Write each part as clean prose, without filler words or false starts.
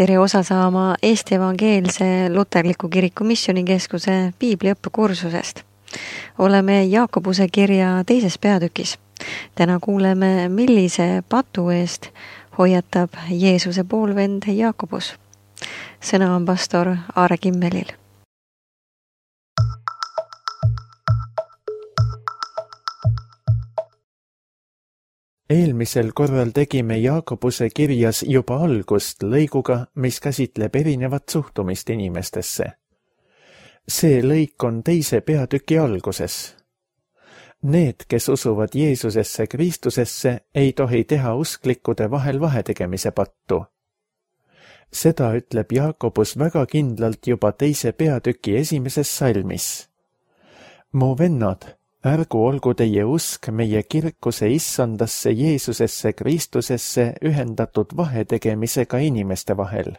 Tere osa saama Eesti Evangeelse Luterliku Kiriku Missioonikeskuse piibliõppekursusest. Oleme Jaakobuse kirja teises peatükis. Täna kuuleme, millise patu eest hoiatab Jeesuse poolvend Jaakobus. Sõna on pastor Aare Kimmelil. Eelmisel korral tegime Jaakobuse kirjas juba algust lõiguga, mis käsitleb erinevat suhtumist inimestesse. See lõik on teise peatüki alguses. Need, kes usuvad Jeesusesse Kristusesse, ei tohi teha usklikkude vahel vahetegemise pattu. Seda ütleb Jaakobus väga kindlalt juba teise peatüki esimeses salmis. Mu vennad, ärgu olgu teie usk meie kirkuse issandasse Jeesusesse Kristusesse ühendatud vahetegemisega inimeste vahel.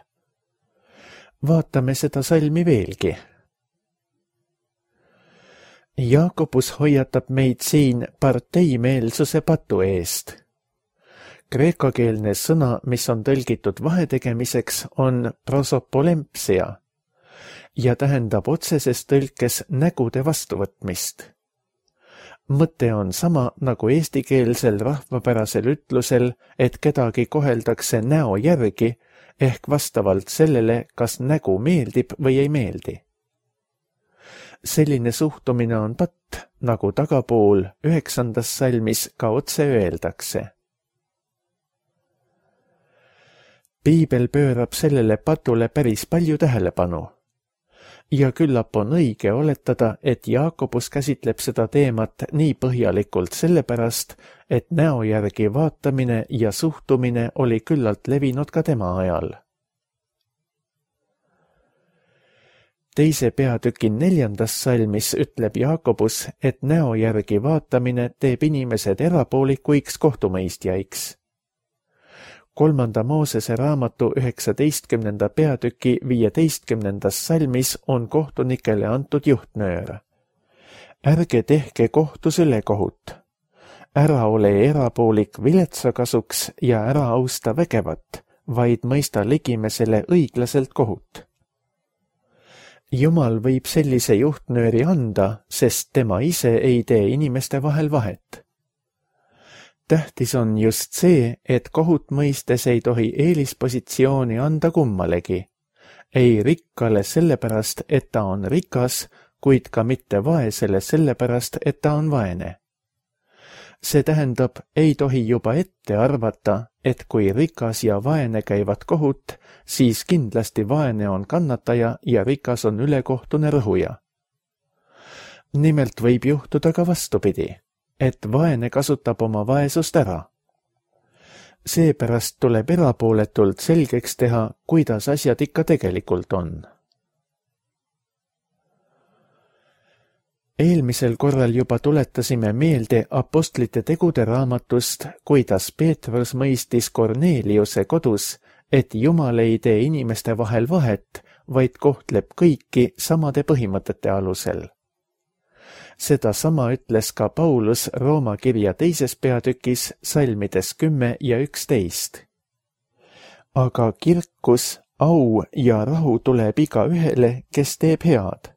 Vaatame seda salmi veelgi. Jaakobus hoiatab meid siin parteimeelsuse patu eest. Kreekakeelne sõna, mis on tõlgitud vahetegemiseks, on prosopolempsia ja tähendab otseses tõlkes nägude vastuvõtmist. Mõte on sama nagu eestikeelsel rahvapärasel ütlusel, et kedagi koheldakse näo järgi ehk vastavalt sellele, kas nägu meeldib või ei meeldi. Selline suhtumine on patt, nagu tagapool 9. salmis ka otse öeldakse. Piibel pöörab sellele patule päris palju tähelepanu. Ja küllap on õige oletada, et Jaakobus käsitleb seda teemat nii põhjalikult sellepärast, et näo järgi vaatamine ja suhtumine oli küllalt levinud ka tema ajal. Teise peatüki 4. salmis ütleb Jaakobus, et näo järgi vaatamine teeb inimesed erapoolikuiks kohtumõistjaiks. 3. Moosese raamatu 19. peatüki 15. salmis on kohtunikele antud juhtnöör. Ärge tehke kohtus ülekohut. Ära ole erapoolik viletsa kasuks ja ära austa vägevat, vaid mõista ligimesele õiglaselt kohut. Jumal võib sellise juhtnööri anda, sest tema ise ei tee inimeste vahel vahet. Tähtis on just see, et kohut mõistes ei tohi eelispositsiooni anda kummalegi. Ei rikkale sellepärast, et ta on rikas, kuid ka mitte vaesele sellepärast, et ta on vaene. See tähendab, ei tohi juba ette arvata, et kui rikas ja vaene käivad kohut, siis kindlasti vaene on kannataja ja rikas on ülekohtune rõhuja. Nimelt võib juhtuda ka vastupidi, et vaene kasutab oma vaesust ära. Seepärast tuleb erapooletult selgeks teha, kuidas asjad ikka tegelikult on. Eelmisel korral juba tuletasime meelde apostlite tegude raamatust, kuidas Peetrus mõistis Korneliuse kodus, et Jumal ei tee inimeste vahel vahet, vaid kohtleb kõiki samade põhimõtete alusel. Seda sama ütles ka Paulus Rooma kirja teises peatükis salmides 10 ja 11. Aga kirkus, au ja rahu tuleb iga ühele, kes teeb head,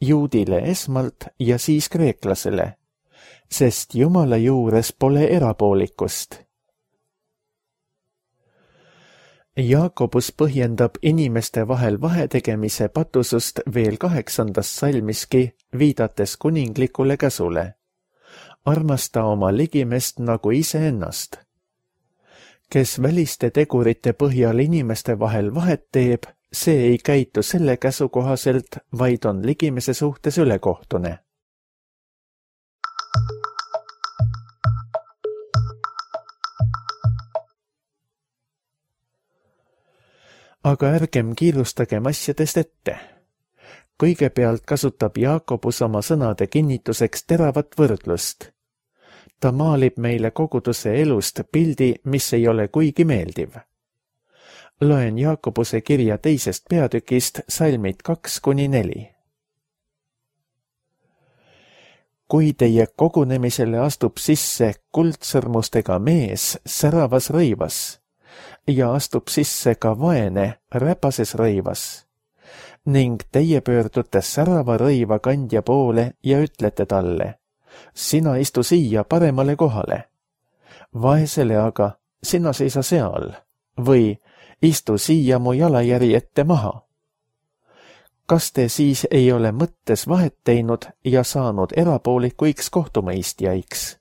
juudile esmalt ja siis kreeklasele, sest Jumala juures pole erapoolikust. Jaakobus põhjendab inimeste vahel vahetegemise patusust veel 8. salmiski, viidates kuninglikule käsule. Armasta oma ligimest nagu iseennast. Kes väliste tegurite põhjal inimeste vahel vahet teeb, see ei käitu selle käsu kohaselt, vaid on ligimese suhtes ülekohtune. Aga ärgem kiirustagem asjadest ette. Kõigepealt kasutab Jaakobus oma sõnade kinnituseks teravat võrdlust. Ta maalib meile koguduse elust pildi, mis ei ole kuigi meeldiv. Loen Jaakobuse kirja teisest peatükist salmid 2-4. Kui teie kogunemisele astub sisse kuldsõrmustega mees säravas rõivas, ja astub sisse ka vaene räpases rõivas. Ning teie pöördute särava rõiva kandja poole ja ütlete talle, sina istu siia paremale kohale. Vaesele aga, sina seisa seal või istu siia mu jalajäri ette maha. Kas te siis ei ole mõttes vahet teinud ja saanud erapoolikuiks kohtumõistjaiks?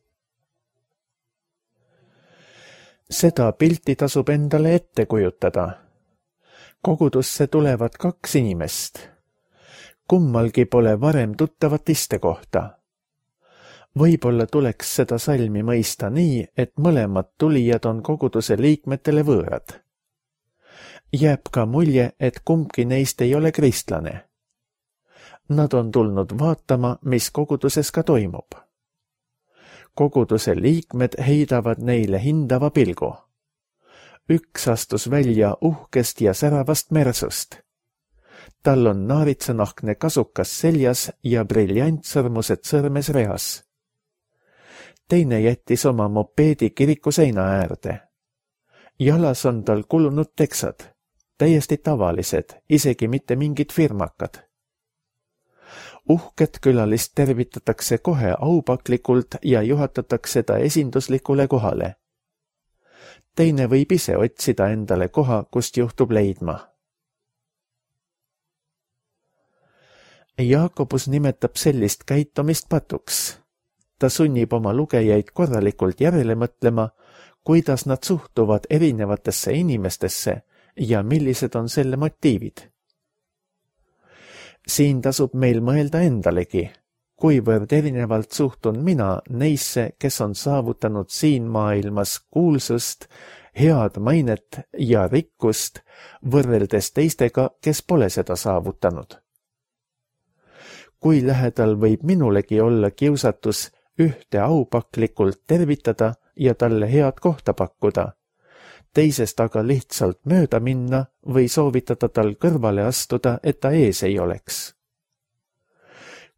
Seda pilti tasub endale ette kujutada. Kogudusse tulevad 2 inimest. Kummalgi pole varem tuttavat istekohta. Võib-olla tuleks seda salmi mõista nii, et mõlemad tulijad on koguduse liikmetele võõrad. Jääb ka mulje, et kumbki neist ei ole kristlane. Nad on tulnud vaatama, mis koguduses ka toimub. Koguduse liikmed heidavad neile hindava pilgu. Üks astus välja uhkest ja säravast mersust. Tal on naaritsanahkne kasukas seljas ja briljantsõrmused sõrmes reas. Teine jättis oma mopeedi kiriku seina äärde. Jalas on tal kulunud teksad, täiesti tavalised, isegi mitte mingid firmakad. Uhket külalist tervitatakse kohe aupaklikult ja juhatatakse ta esinduslikule kohale. Teine võib ise otsida endale koha, kust juhtub leidma. Jaakobus nimetab sellist käitumist patuks. Ta sunnib oma lugejaid korralikult järele mõtlema, kuidas nad suhtuvad erinevatesse inimestesse ja millised on selle motiivid. Siin tasub meil mõelda endalegi, kuivõrd erinevalt suhtun mina neisse, kes on saavutanud siin maailmas kuulsust, head mainet ja rikkust, võrreldes teistega, kes pole seda saavutanud. Kui lähedal võib minulegi olla kiusatus ühte aupaklikult tervitada ja talle head kohta pakkuda, teisest aga lihtsalt mööda minna või soovitada tal kõrvale astuda, et ta ees ei oleks.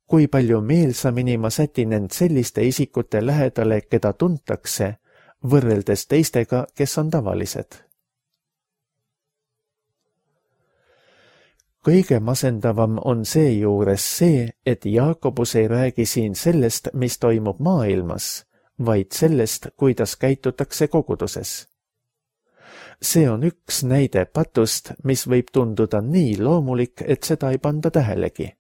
Kui palju meelsamini ma sätin end selliste isikute lähedale, keda tuntakse, võrreldes teistega, kes on tavalised. Kõige masendavam on seejuures see, et Jaakobus ei räägi siin sellest, mis toimub maailmas, vaid sellest, kuidas käitutakse koguduses. See on üks näide patust, mis võib tunduda nii loomulik, et seda ei panda tähelegi.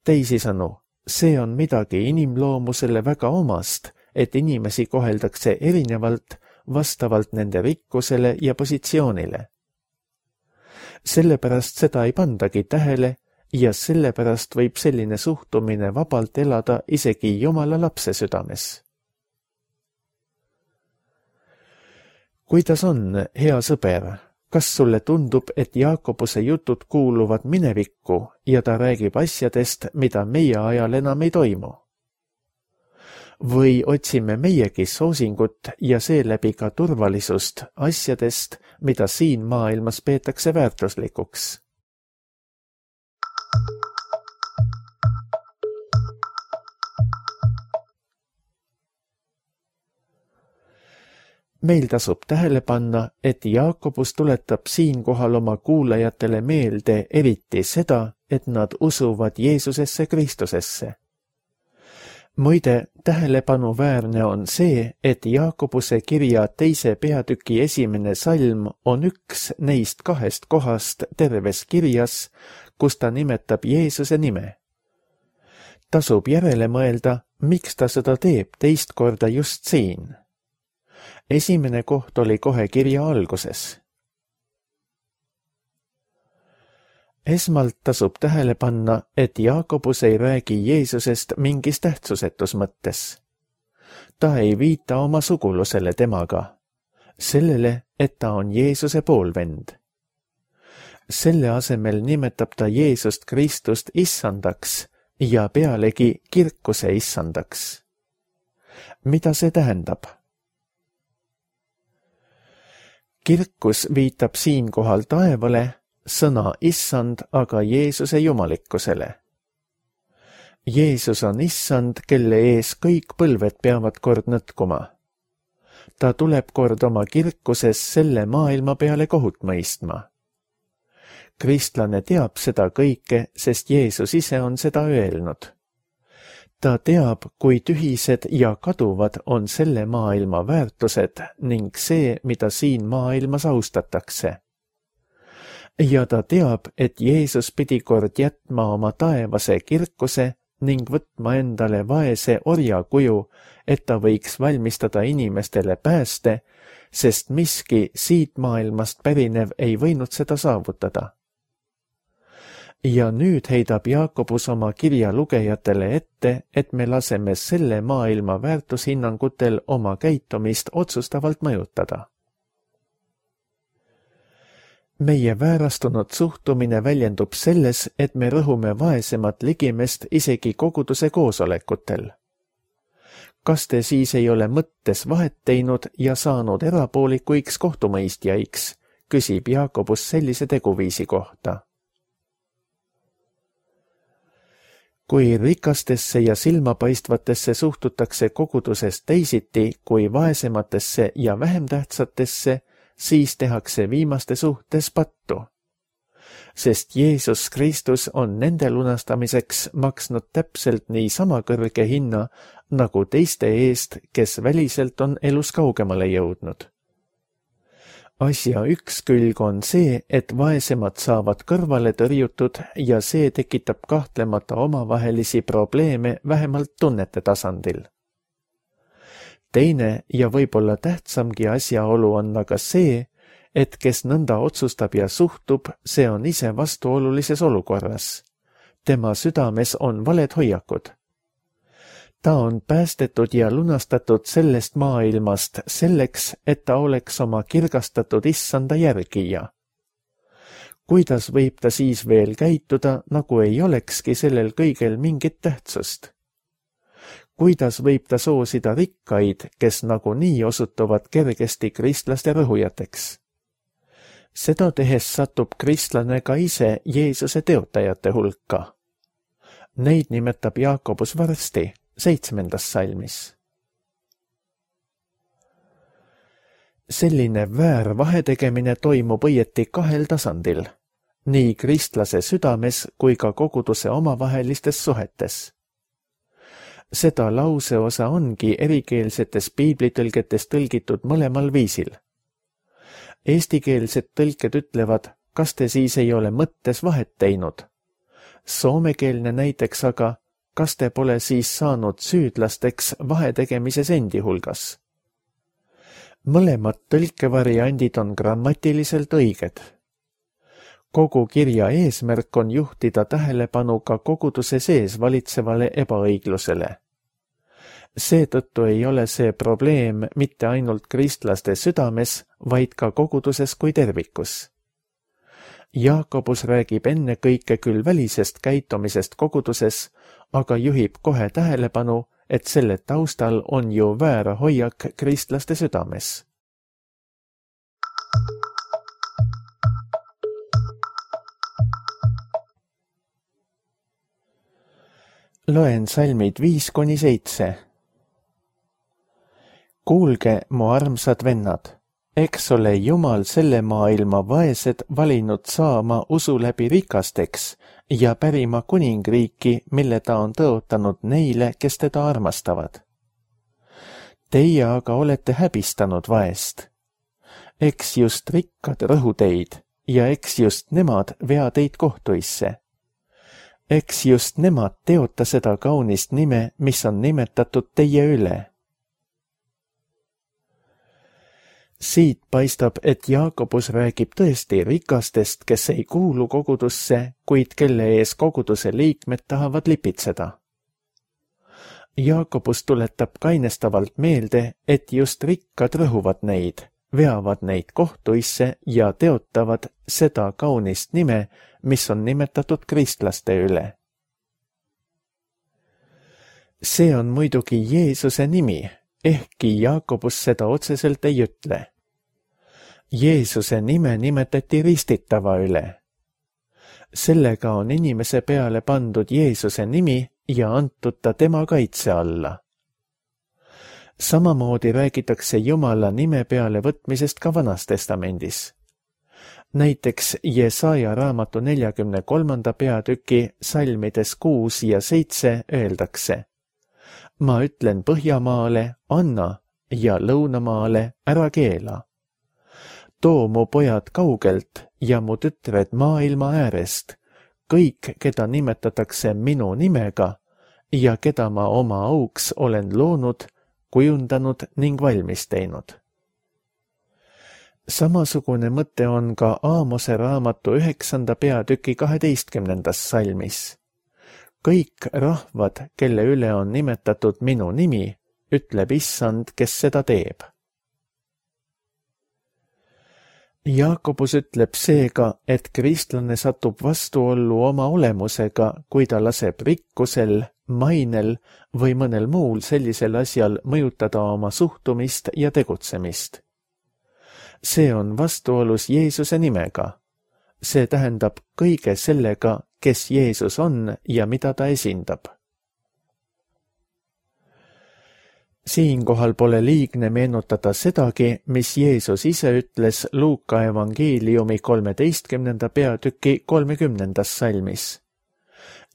Teisisõnu, see on midagi inimloomusele väga omast, et inimesi koheldakse erinevalt vastavalt nende rikkusele ja positsioonile. Sellepärast seda ei pandagi tähele ja sellepärast võib selline suhtumine vabalt elada isegi Jumala lapse südames. Kuidas on, hea sõber, kas sulle tundub, et Jaakobuse jutud kuuluvad minevikku ja ta räägib asjadest, mida meie ajal enam ei toimu? Või otsime meiegi soosingut ja seeläbi ka turvalisust asjadest, mida siin maailmas peetakse väärtuslikuks? Meil tasub tähele panna, et Jaakobus tuletab siinkohal oma kuulajatele meelde eriti seda, et nad usuvad Jeesusesse Kristusesse. Muide, tähelepanuväärne on see, et Jaakobuse kirja 2. peatüki 1. salm on üks neist 2 kohast terves kirjas, kus ta nimetab Jeesuse nime. Tasub järele mõelda, miks ta seda teeb 2. korda just siin. Esimene koht oli kohe kirja alguses. Esmalt tasub tähele panna, et Jaakobus ei räägi Jeesusest mingis tähtsusetus mõttes. Ta ei viita oma sugulusele temaga, sellele, et ta on Jeesuse poolvend. Selle asemel nimetab ta Jeesust Kristust issandaks ja pealegi kirkuse issandaks. Mida see tähendab? Kirkus viitab siinkohal taevale, sõna issand aga Jeesuse jumalikkusele. Jeesus on issand, kelle ees kõik põlved peavad kord nõtkuma. ta tuleb kord oma kirkuses selle maailma peale kohut mõistma. Kristlane teab seda kõike, sest Jeesus ise on seda öelnud. Ta teab, kui tühised ja kaduvad on selle maailma väärtused ning see, mida siin maailmas austatakse. Ja ta teab, et Jeesus pidi kord jätma oma taevase kirkuse ning võtma endale vaese orja kuju, et ta võiks valmistada inimestele pääste, sest miski siit maailmast pärinev ei võinud seda saavutada. Ja nüüd heidab Jaakobus oma kirja lugejatele ette, et me laseme selle maailma väärtushinnangutel oma käitumist otsustavalt mõjutada. Meie väärastunud suhtumine väljendub selles, et me rõhume vaesemat ligimest isegi koguduse koosolekutel. Kas te siis ei ole mõttes vahet teinud ja saanud erapoolikuiks kohtumõistjaiks, küsib Jaakobus sellise teguviisi kohta. Kui rikastesse ja silmapaistvatesse suhtutakse koguduses teisiti kui vaesematesse ja vähem tähtsatesse, siis tehakse viimaste suhtes pattu. Sest Jeesus Kristus on nende lunastamiseks maksnud täpselt nii sama kõrge hinna, nagu teiste eest, kes väliselt on elus kaugemale jõudnud. Asja üks külg on see, et vaesemad saavad kõrvale tõrjutud ja see tekitab kahtlemata omavahelisi probleeme vähemalt tunnete tasandil. Teine ja võib-olla tähtsamgi asjaolu on aga see, et kes nõnda otsustab ja suhtub, see on ise vastuolulises olukorras. Tema südames on valed hoiakud. Ta on päästetud ja lunastatud sellest maailmast selleks, et ta oleks oma kirgastatud issanda järgija. Kuidas võib ta siis veel käituda, nagu ei olekski sellel kõigel mingit tähtsust? Kuidas võib ta soosida rikkaid, kes nagunii osutuvad kergesti kristlaste rõhujateks? Seda tehes satub kristlane ka ise Jeesuse teotajate hulka. Neid nimetab Jaakobus varsti 7. salmis. Selline väär vahetegemine toimub õieti kahel tasandil, nii kristlase südames kui ka koguduse omavahelistes suhetes. Seda lauseosa ongi erikeelsetes piiblitõlgetes tõlgitud mõlemal viisil. Eestikeelsed tõlked ütlevad, kas te siis ei ole mõttes vahet teinud. Soomekeelne näiteks aga, kas te pole siis saanud süüdlasteks vahetegemises endi hulgas. Mõlemad tõlkevariandid on grammatiliselt õiged. Kogu kirja eesmärk on juhtida tähelepanu ka koguduse sees valitsevale ebaõiglusele. Seetõttu ei ole see probleem mitte ainult kristlaste südames, vaid ka koguduses kui tervikus. Jaakobus räägib ennekõike küll välisest käitumisest koguduses, aga juhib kohe tähelepanu, et selle taustal on ju väär hoiak kristlaste südames. Loen salmid 5-7. Kuulge, mu armsad vennad, eks ole Jumal selle maailma vaesed valinud saama usu läbi rikasteks ja pärima kuningriiki, mille ta on tõotanud neile, kes teda armastavad. Teie aga olete häbistanud vaest. Eks just rikkad rõhu teid ja eks just nemad vea teid kohtuisse. Eks just nemad teota seda kaunist nime, mis on nimetatud teie üle. Siit paistab, et Jaakobus räägib tõesti rikastest, kes ei kuulu kogudusse, kuid kelle ees koguduse liikmed tahavad lipitseda. Jaakobus tuletab kainestavalt meelde, et just rikkad rõhuvad neid, veavad neid kohtuisse ja teotavad seda kaunist nime, mis on nimetatud kristlaste üle. See on muidugi Jeesuse nimi, ehkki Jaakobus seda otseselt ei ütle. Jeesuse nime nimetati ristitava üle. Sellega on inimese peale pandud Jeesuse nimi ja antud ta tema kaitse alla. Samamoodi räägitakse Jumala nime peale võtmisest ka Vanas Testamendis. Näiteks Jesaja raamatu 43. peatüki salmides 6 ja 7 öeldakse: ma ütlen Põhjamaale, anna, ja Lõunamaale, ära keela. Too mu pojad kaugelt ja mu tütred maailma äärest, kõik, keda nimetatakse minu nimega ja keda ma oma auks olen loonud, kujundanud ning valmis teinud. Samasugune mõte on ka Aamose raamatu 9. peatüki 12. salmis. Kõik rahvad, kelle üle on nimetatud minu nimi, ütleb Issand, kes seda teeb. Jaakobus ütleb seega, et kristlane satub vastuollu oma olemusega, kui ta laseb rikkusel, mainel või mõnel muul sellisel asjal mõjutada oma suhtumist ja tegutsemist. See on vastuolus Jeesuse nimega. See tähendab kõige sellega, kes Jeesus on ja mida ta esindab. Siinkohal pole liigne meenutada sedagi, mis Jeesus ise ütles Luuka evangeeliumi 13. peatüki 30. salmis.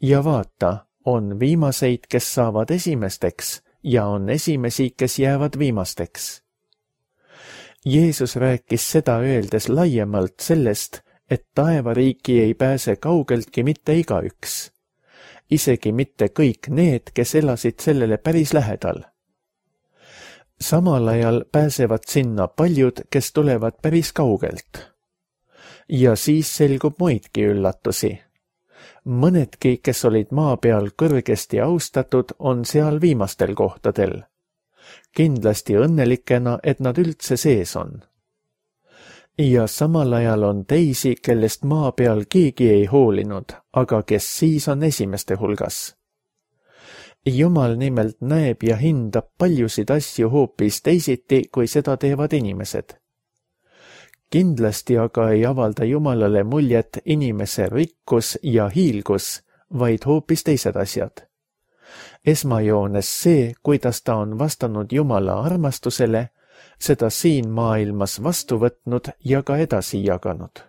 Ja vaata, on viimaseid, kes saavad esimesteks, ja on esimesi, kes jäävad viimasteks. Jeesus rääkis seda öeldes laiemalt sellest, et taevariiki ei pääse kaugeltki mitte igaüks. Isegi mitte kõik need, kes elasid sellele päris lähedal. Samal ajal pääsevad sinna paljud, kes tulevad päris kaugelt. Ja siis selgub muidki üllatusi. Mõnedki, kes olid maa peal kõrgesti austatud, on seal viimastel kohtadel. Kindlasti õnnelikena, et nad üldse sees on. Ja samal ajal on teisi, kellest maa peal keegi ei hoolinud, aga kes siis on esimeste hulgas. Jumal nimelt näeb ja hindab paljusid asju hoopis teisiti, kui seda teevad inimesed. Kindlasti aga ei avalda Jumalale muljet inimese rikkus ja hiilgus, vaid hoopis teised asjad. Esmajoones see, kuidas ta on vastanud Jumala armastusele, seda siin maailmas vastu võtnud ja ka edasi jaganud.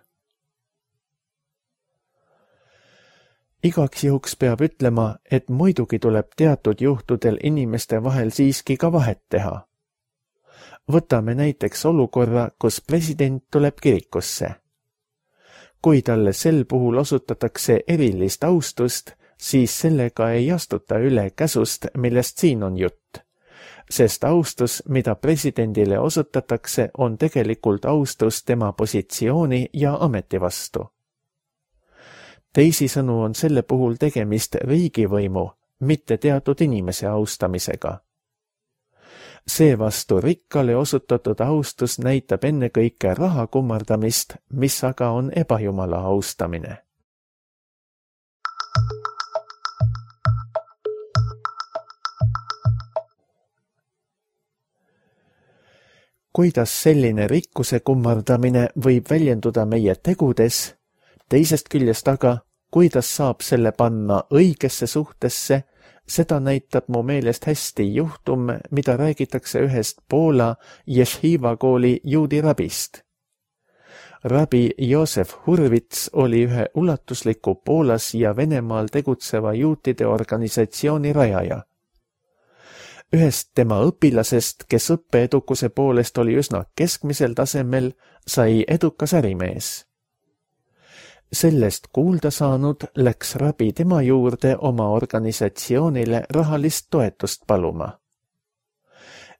Igaks juhuks peab ütlema, et muidugi tuleb teatud juhtudel inimeste vahel siiski ka vahet teha. Võtame näiteks olukorra, kus president tuleb kirikusse. Kui talle sel puhul osutatakse erilist austust, siis sellega ei astuta üle käsust, millest siin on jutt. Sest austus, mida presidendile osutatakse, on tegelikult austus tema positsiooni ja ameti vastu. Teisisõnu on selle puhul tegemist riigivõimu, mitte teatud inimese austamisega. Seevastu rikkale osutatud austus näitab ennekõike raha kummardamist, mis aga on ebajumala austamine. Kuidas selline rikkuse kummardamine võib väljenduda meie tegudes, teisest küljest aga, kuidas saab selle panna õigesse suhtesse, seda näitab mu meelest hästi juhtum, mida räägitakse ühest Poola Jeshiva kooli juudi rabist. Rabi Joosef Hurvits oli ühe ulatusliku Poolas ja Venemaal tegutseva juutide organisatsiooni rajaja. Ühest tema õpilasest, kes õppeedukuse poolest oli üsna keskmisel tasemel, sai edukas ärimees. Sellest kuulda saanud läks rabi tema juurde oma organisatsioonile rahalist toetust paluma.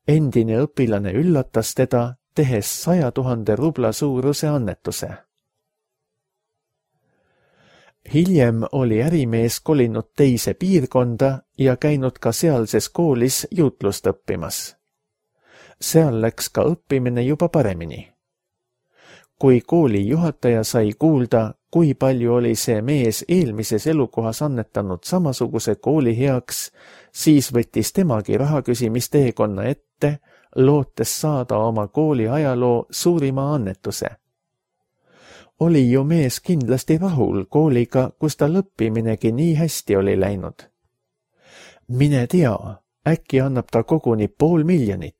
Endine õpilane üllatas teda, tehes 100 000 rubla suuruse annetuse. Hiljem oli ärimees kolinud teise piirkonda ja käinud ka sealses koolis juutlust õppimas. Seal läks ka õppimine juba paremini. Kui kooli juhataja sai kuulda, kui palju oli see mees eelmises elukohas annetanud samasuguse kooli heaks, siis võttis temagi rahaküsimisteekonna ette, lootes saada oma kooli ajaloo suurima annetuse. Oli ju mees kindlasti rahul kooliga, kus tal õppiminegi nii hästi oli läinud. Mine tea, äkki annab ta koguni 500 000.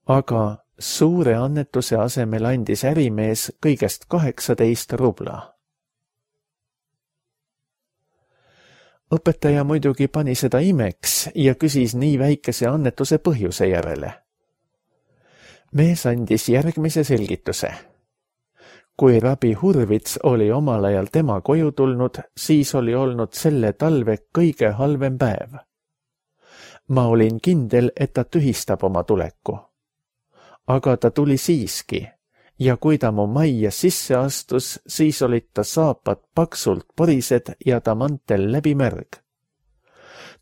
Aga suure annetuse asemel andis ärimees kõigest 18 rubla. Õpetaja muidugi pani seda imeks ja küsis nii väikese annetuse põhjuse järele. Mees andis järgmise selgituse. Kui rabi Hurvits oli omal ajal tema koju tulnud, siis oli olnud selle talve kõige halvem päev. Ma olin kindel, et ta tühistab oma tuleku. Aga ta tuli siiski ja kui ta mu majja sisse astus, siis olid ta saapad paksult porised ja ta mantel läbi märg.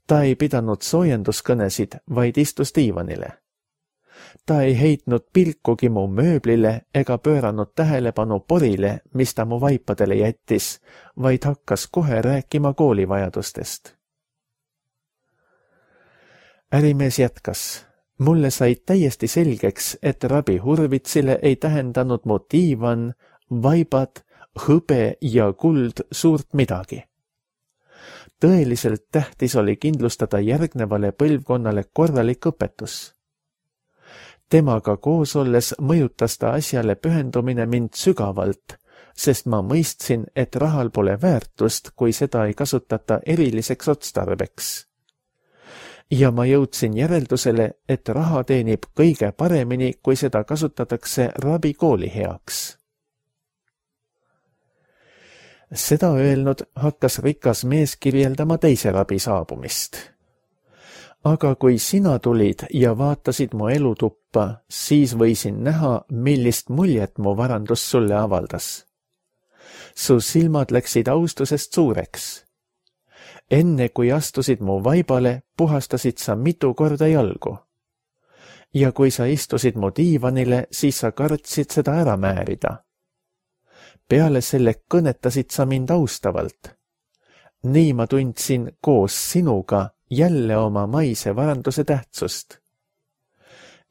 Ta ei pidanud soojenduskõnesid, vaid istus diivanile. Ta ei heitnud pilkugi mu mööblile ega pööranud tähelepanu porile, mis ta mu vaipadele jättis, vaid hakkas kohe rääkima koolivajadustest. Ärimees jätkas. Mulle sai täiesti selgeks, et rabi Hurvitsile ei tähendanud mu diivan, vaibad, hõbe ja kuld suurt midagi. Tõeliselt tähtis oli kindlustada järgnevale põlvkonnale korralik õpetus. Temaga koos olles mõjutas ta asjale pühendumine mind sügavalt, sest ma mõistsin, et rahal pole väärtust, kui seda ei kasutata eriliseks otstarbeks. Ja ma jõudsin järeldusele, et raha teenib kõige paremini, kui seda kasutatakse rabi kooli heaks. Seda öelnud hakkas rikas mees kirjeldama teise rabi saabumist. Aga kui sina tulid ja vaatasid mu elutuppa, siis võisin näha, millist muljet mu varandus sulle avaldas. Su silmad läksid austusest suureks. Enne kui astusid mu vaibale, puhastasid sa mitu korda jalgu. Ja kui sa istusid mu diivanile, siis sa kartsid seda ära määrida. Peale selle kõnetasid sa mind austavalt. Nii ma tundsin koos sinuga jälle oma maise varanduse tähtsust.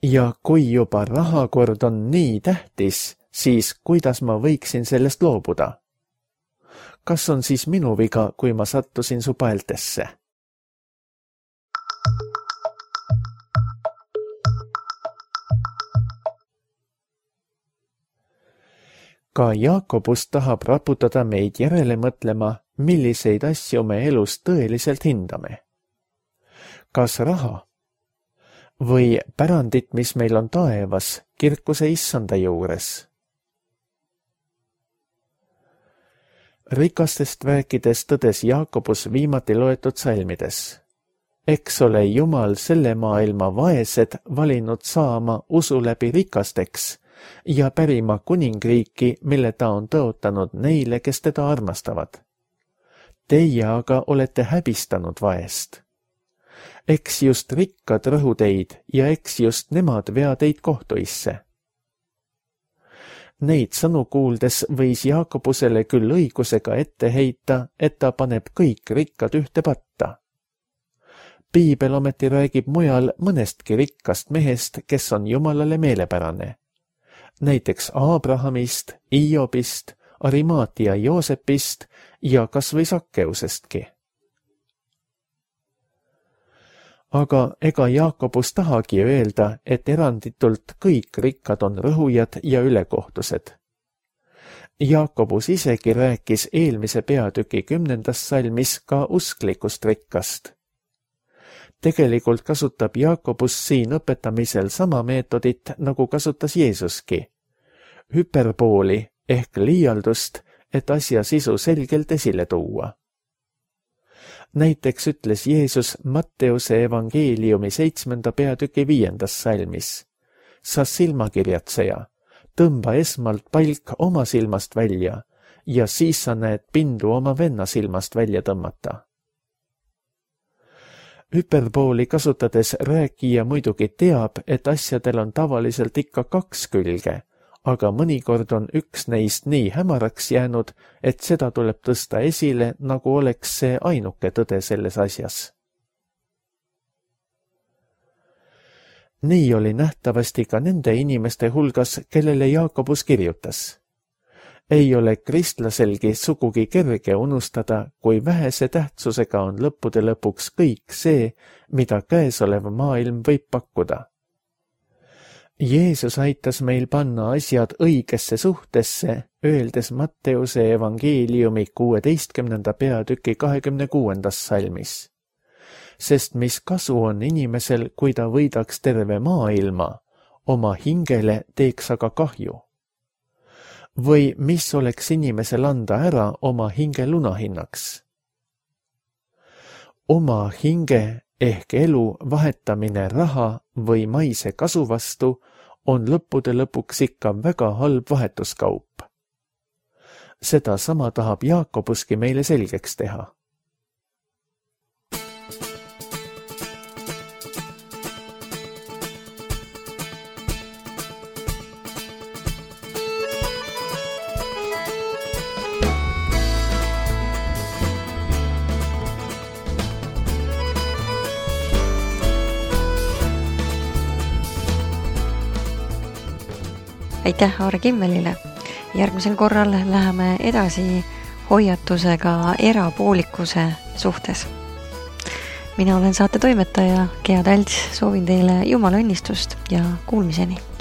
Ja kui juba rahakord on nii tähtis, siis kuidas ma võiksin sellest loobuda? Kas on siis minu viga, kui ma sattusin su paeltesse? Ka Jaakobus tahab raputada meid järele mõtlema, milliseid asju me elus tõeliselt hindame. Kas raha või pärandit, mis meil on taevas, kirkuse issanda juures? Rikastest rääkides tõdes Jaakobus viimati loetud salmides. Eks ole Jumal selle maailma vaesed valinud saama usu läbi rikasteks ja pärima kuningriiki, mille ta on tõotanud neile, kes teda armastavad. Teie aga olete häbistanud vaest. Eks just rikkad rõhu teid ja eks just nemad vea teid kohtuisse. Neid sõnu kuuldes võis Jaakobusele küll õigusega ette heita, et ta paneb kõik rikkad ühte patta. Piibel ometi räägib mujal mõnestki rikkast mehest, kes on Jumalale meelepärane. Näiteks Abrahamist, Iobist, Arimaatia Joosepist ja kas või Sakkeusestki. Aga ega Jaakobus tahagi öelda, et eranditult kõik rikkad on rõhujad ja ülekohtused. Jaakobus isegi rääkis eelmise peatüki 10. salmis ka usklikust rikkast. Tegelikult kasutab Jaakobus siin õpetamisel sama meetodit, nagu kasutas Jeesuski. Hüperbooli ehk liialdust, et asja sisu selgelt esile tuua. Näiteks ütles Jeesus Matteuse evangeeliumi 7. peatüki 5. salmis. Sa silmakirjatseja, tõmba esmalt palk oma silmast välja ja siis sa näed pindu oma venna silmast välja tõmmata. Hüperbooli kasutades rääkija muidugi teab, et asjadel on tavaliselt ikka 2 külge, aga mõnikord on üks neist nii hämaraks jäänud, et seda tuleb tõsta esile, nagu oleks see ainuke tõde selles asjas. Nii oli nähtavasti ka nende inimeste hulgas, kellele Jaakobus kirjutas. Ei ole kristlaselgi sugugi kerge unustada, kui vähese tähtsusega on lõppude lõpuks kõik see, mida käesolev maailm võib pakkuda. Jeesus aitas meil panna asjad õigesse suhtesse, öeldes Matteuse evangeeliumi 16. peatüki 26. salmis. Sest mis kasu on inimesel, kui ta võidaks terve maailma, oma hingele teeks aga kahju? Või mis oleks inimesel anda ära oma hinge lunahinnaks? Oma hinge ehk elu vahetamine raha või maise kasu vastu on lõppude lõpuks ikka väga halb vahetuskaup. Seda sama tahab Jaakobuski meile selgeks teha. Aitäh Aare Kimmelile. Järgmisel korral läheme edasi hoiatusega erapoolikuse suhtes. Mina olen saate toimetaja Gea Talts, soovin teile Jumala õnnistust ja kuulmiseni.